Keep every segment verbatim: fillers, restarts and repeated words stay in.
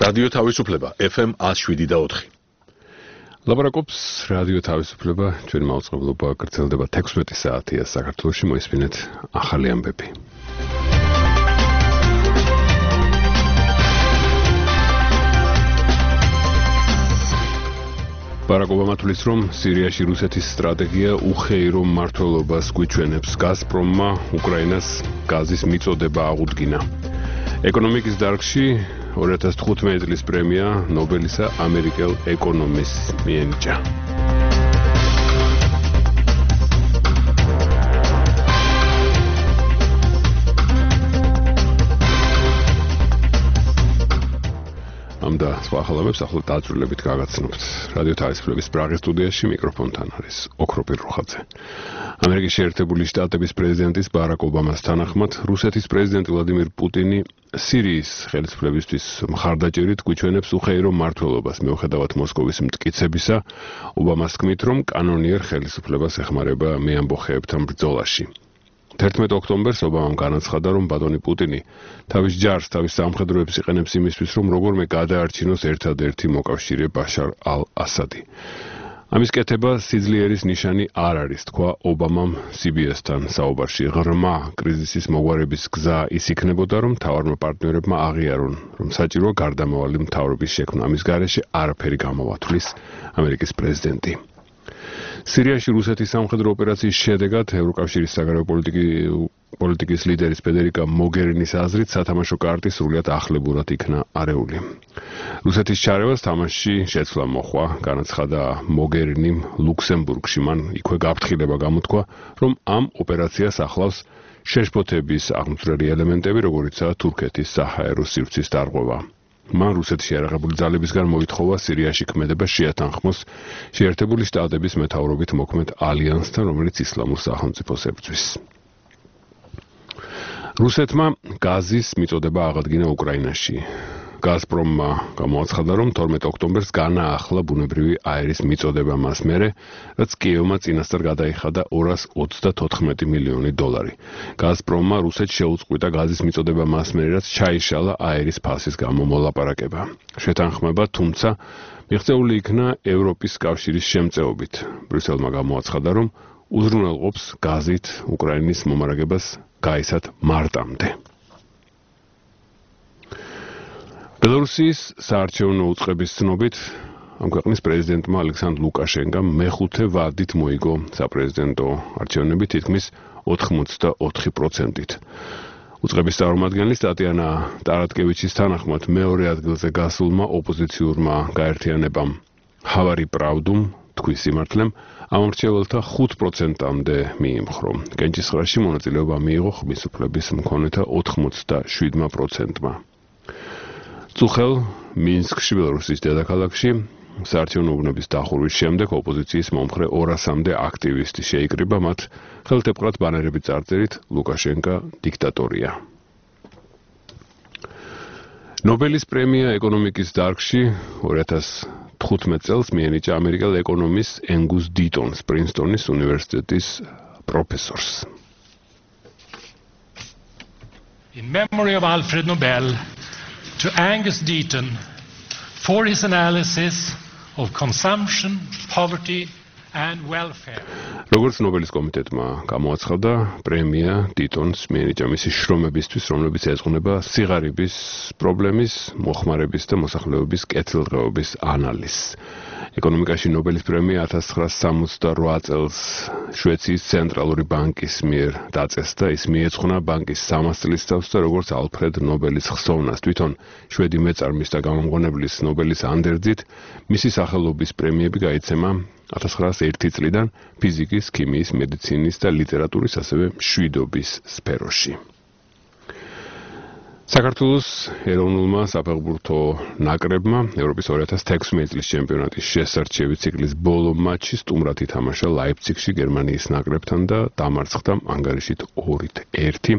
რადიო თავისუფლება ეფ ემ one oh seven და four. ლაპარაკობს რადიო თავისუფლება, ჩვენი მაუწყებლობა გრძელდება თექვსმეტი საათია საქართველოში, მოისმინეთ ახალი ამბები. ბარაკ ობამა თვლის, რომ სირიაში რუსეთის სტრატეგია უხეირო მმართველობას გვიჩვენებს. გაზპრომმა უკრაინას გაზის მიწოდება აღუდგინა. ეკონომიკის დარგში two thousand fifteen წლის პრემია ნობელისა ამერიკელ ეკონომისტს მიენიჭა. ამ და სხვა ახალამებს ახლა დაწვრილებით გაგაცნობთ. რადიო თავისუფლების პრაღის სტუდიაში მიკროფონთან არის ოქროპირ რუხაძე. ამერიკის შეერთებული შტატების პრეზიდენტის ბარაკ ობამას თანახმად, რუსეთის პრეზიდენტი ვლადიმირ პუტინი სირიის ხელისუფლებისთვის მხარდაჭერით გვიჩვენებს უხეირო მმართველობას. მიუხედავად მოსკოვის მტკიცებისა, ობამას თქმით, რომ კანონიერ ხელისუფლებას ეხმარება მეამბოხეებთან ბრძოლაში. თერთმეტ ოქტომბერს ობამამ განაცხადა, რომ ბატონი პუტინი თავის ჯარს, თავის სამხედროებს იყენებს იმისთვის, რომ როგორმე გადაარჩინოს ერთადერთი მოკავშირე ბაშარ ალ-ასადი. ამის კეთება სიძლიერის ნიშანი არ არის, თქვა ობამამ სი ბი ეს-თან საუბარში. ღრმა კრიზისის მოგვარების გზა ის იქნებოდა, რომ მთავარმა პარტნიორებმა აღიარონ, რომ საჭიროა გარდამავალი მთავრობის შექმნა. ამის გარეშე არაფერი გამოვათვლის ამერიკის პრეზიდენტი. სირიაში რუსეთის სამხედრო ოპერაციის შედეგად ევროკავშირის საგარეო პოლიტიკის ლიდერის ფედერიკა მოგერინის აზრით სათამაშო კარტი სრულიად ახლებურად იქნა არეული. რუსეთის ჩარევას თამაშში შეცვლა მოჰყვა, განაცხადა მოგერინიმ ლუქსემბურგში. მან იქვე გაფრთხილება გამოთქვა, რომ ამ ოპერაციას ახლავს შეშფოთების აღმწვრელი ელემენტები, როგორიცაა თურქეთის საჰაერო სივრცის დარღვევა. მან რუსეთში არაღებული ძალებისგან მოითხოვა სირიაში ქმედება შეათანხმოს შეერთებული შტატების მეთაურობით მოქმედ ალიანსთან, რომელიც ისლამურ სახელმწიფოს ებრძვის. რუსეთმა გაზის მიწოდება აღადგინა უკრაინაში. გაზპრომმა გამოაცხადა, რომ თორმეტ ოქტომბერს განაახლა ბუნებრივი აერის მიწოდება მას მერე, რაც კიევმა წინასწარ გადაიხადა ორას ოცდათოთხმეტი მილიონი დოლარი. გაზპრომმა რუსეთს შეუწყვიტა გაზის მიწოდება მას მერე, რაც ჩაიშალა აერის ფასის გამო მოლაპარაკება. შეთანხმება, თუმცა მიღწეული იქნა ევროპის კავშირის შემწეობით. ბრიუსელმა გამოაცხადა, რომ უზრუნველყოფს გაზით უკრაინის მომარაგებას გაისად მარტამდე. ბელორუსიის საარჩევნო უწყების ცნობით, ამ ქვეყნის პრეზიდენტმა ალექსანდრ ლუკაშენკამ მეხუთე ვადით მოიგო საპრეზიდენტო არჩევნები თითქმის ოთხმოცდაოთხი პროცენტით. უწყების წარმომადგენლის ტატიანა ტარატკევიჩის თანახმად მეორე ადგილზე გასულმა ოპოზიციურმა გაერთიანებამ ჰავარი პრაუდუმ თქვის სიმართლემ ამ მრჩეველთა ხუთ პროცენტამდე მიიმხრო. კენჭისყრაში მონაწილეობა მიიღო ხმის უფლების მქონეთა ოთხმოცდაშვიდმა პროცენტმა. წუხელ მინსკში, ბელორუსის დედაქალაქში, საარჩევნო უბნების დახურვის შემდეგ ოპოზიციის მომხრე ორასამდე აქტივისტი შეიკრიბა, მათ ხელთეპყრად ბანერებით წარწერით ლუკაშენკა დიქტატორია. ნობელის პრემია ეკონომიკის დარგში two thousand fifteen წელს მიენიჭა ამერიკელ ეკონომისტს ენგუს დიტონს, პრინსტონის უნივერსიტეტის პროფესორს. In memory of Alfred Nobel, to Angus Deaton for his analysis of consumption, poverty and welfare. როგორც ნობელის კომიტეტმა გამოაცხადა, პრემია დიტონს მიენიჭა მისი შრომებისთვის, რომლებიც ეძღვნება სიღარიბის პრობლემის, მოხმარების და მოსახლეობის კეთილდღეობის ანალიზს. ეკონომიკაში ნობელის პრემია one thousand nine hundred sixty-eight წელს შვეიცრიის ცენტრალური ბანკის მიერ დაწესდა. ის მიეძღვნა ბანკის სამას წლის თავს და როგორც ალფრედ ნობელის ხსოვნას, თვითონ შვედი მეწარმის და გამომგონებლის ნობელის ანდერძით, მისი სახელობის პრემიები გაიცემა one thousand nine hundred one წლიდან ფიზიკის, ქიმიის, მედიცინის და ლიტერატურის, ასევე მშვიდობის სფეროში. საქართველოს ეროვნულმა საფეხბურთო ნაკრებმა ევროპის two thousand sixteen წლის ჩემპიონატის შესარჩევი ციკლის ბოლო მატჩი სტუმრად ითამაშა ლაიფციგში გერმანიის ნაკრებთან და დამარცხდა ანგარიშით ორით ერთი.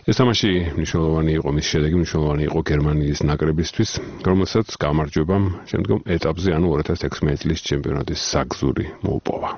ეს თამაში მნიშვნელოვანი იყო, მის შედეგი მნიშვნელოვანი იყო გერმანიის ნაკრებისთვის, რომელსაც გამარჯვებამ შემდგომ ეტაპზე, ანუ two thousand sixteen წლის ჩემპიონატის საგზური მოუპოვა.